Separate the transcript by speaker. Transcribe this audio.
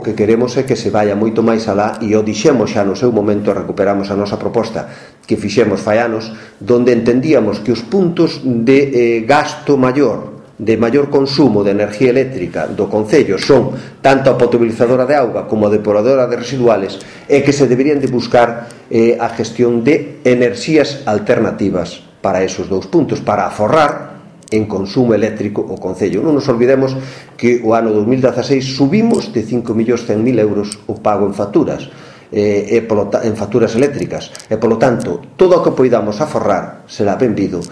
Speaker 1: O que queremos é que se vaya moito máis alá, e o dixemos xa no seu momento, recuperamos a nosa proposta que fixemos fai anos, donde entendíamos que os puntos de gasto maior, de maior consumo de enerxía eléctrica do Concello son tanto a potabilizadora de auga como a depuradora de residuales, e que se deberían de buscar a gestión de enerxías alternativas para esos dous puntos, para aforrar en consumo eléctrico o Concello. Non nos olvidemos que o ano 2016 subimos de 5.100.000 euros o pago en facturas, en facturas eléctricas, e polo tanto todo o que poidamos aforrar será benvido,